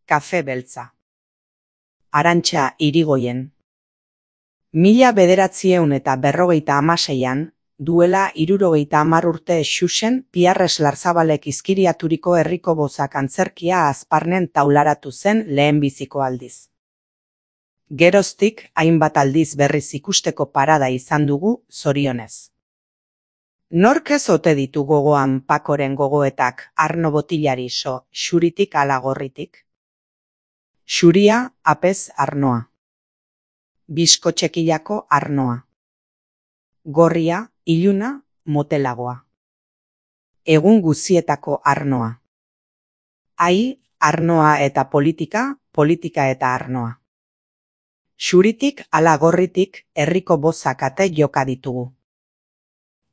kafe beltza. Arantxa Irigoyen. 1956an, duela 70 urte Xuxen Piarres Larzabalek izkiriaturiko herriko bozak antzerkia Azparnen taularatu zen lehenbiziko aldiz. Geroztik hainbat aldiz berriz ikusteko parada izan dugu, zorionez. Nork ez ote ditu gogoan Pakoren gogoetak Arno Botilari so, xuritik ala gorritik? Xuria, apez Arnoa. Bizkotxekilako Arnoa. Gorria, iluna, motelagoa. Egun guzietako Arnoa. Ai, Arnoa eta politika, politika eta Arnoa. Xuritik ala gorritik herriko bozak ate joka ditugu.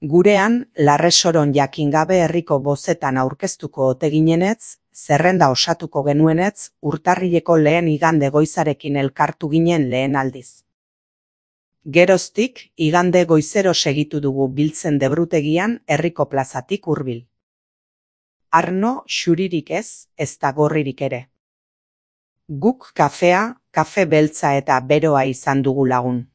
Gurean, Larresoron jakingabe herriko bozetan aurkeztuko ote ginenetz, zerrenda osatuko genuenetz, urtarrileko lehen igande goizarekin elkartu ginen lehen aldiz. Geroztik, igande goizero segitu dugu biltzen debrutegian herriko plazatik hurbil. Arno xuririk ez da gorririk ere. Guk kafea, kafe beltza eta beroa izan dugu lagun.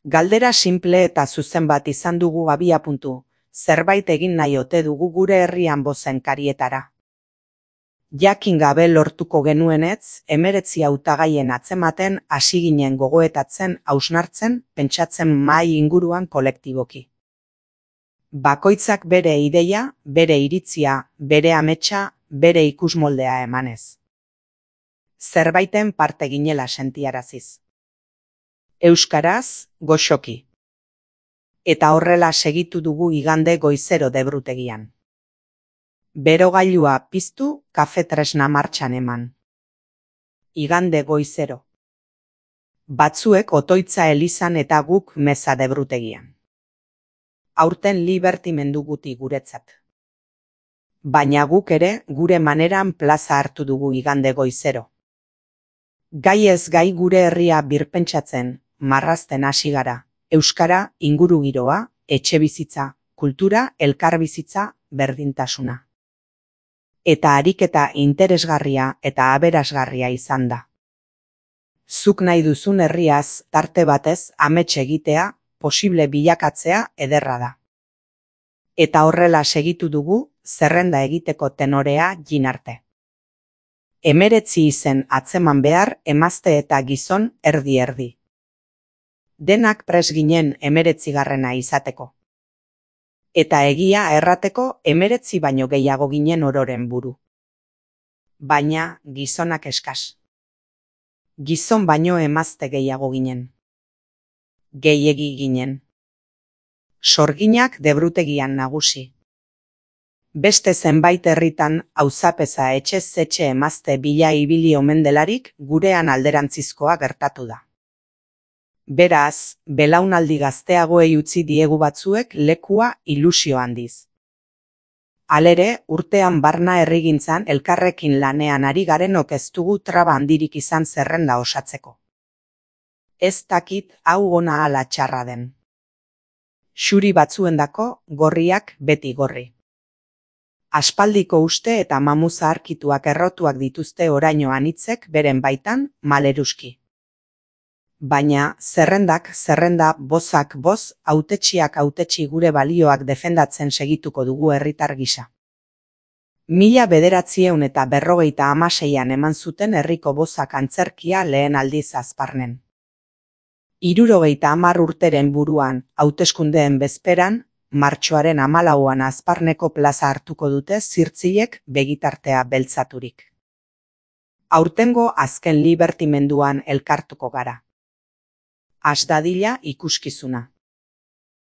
Galdera simple eta zuzen bat izan dugu abiapuntu, zerbait egin nahi ote dugu gure herrian bozen karietara. Jakin gabe lortuko genuenetz, 19 hautagaien atzematen hasi ginen gogoetatzen, hausnartzen, pentsatzen mahai inguruan kolektiboki. Bakoitzak bere ideia, bere iritzia, bere ametsa, bere ikusmoldea emanez. Zerbaiten parte ginela sentiaraziz. Euskaraz, goxoki. Eta horrela segitu dugu igande goizero debrutegian. Berogailua piztu, kafe tresna martxan eman. Igande goizero. Batzuek otoitza elizan eta guk meza debrutegian. Aurten libertimendu guti guretzat. Baina guk ere gure maneran plaza hartu dugu igande goizero. Gai ez gai gure herria birpentsatzen, marrazten hasi gara, euskara, ingurugiroa, etxebizitza, kultura, elkarbizitza, berdintasuna. Eta ariketa interesgarria eta aberasgarria izan da. Zuk nahi duzun herriaz, tarte batez, amets egitea, posible bilakatzea ederra da. Eta horrela segitu dugu, zerrenda egiteko tenorea jin arte. 19 izen atzeman behar, emazte eta gizon erdi-erdi. Denak pres ginen 19 izateko. Eta egia errateko 19 baino gehiago ginen ororen buru. Baina gizonak eskas. Gizon baino emazte gehiago ginen. Gehiegi ginen. Sorginak debrutegian nagusi. Beste zenbait herritan auzapeza etxez etxe emazte bila ibili omen delarik gurean alderantzizkoa gertatu da. Beraz, belaunaldi gazteagoei utzi diegu batzuek lekua ilusio handiz. Halere, urtean barna herrigintzan elkarrekin lanean ari garenok ez dugu traba handirik izan zerrenda osatzeko. Ez dakit hau ona ala txarra den. Xuri batzuendako gorriak beti gorri. Aspaldiko uste eta mamu zaharkituak errotuak dituzte oraino anitzek beren baitan maleruski. Baina zerrendak zerrenda, bozak boz, hautetsiak hautetsi gure balioak defendatzen segituko dugu herritar gisa. 1956an eman zuten herriko bozak antzerkia lehen aldiz Azparnen. 70 urteren buruan, hauteskundeen bezperan, martxoaren 14an Azparneko plaza hartuko dute zirtzilek begitartea beltzaturik. Aurtengo azken libertimenduan elkartuko gara. Has dadila ikuskizuna.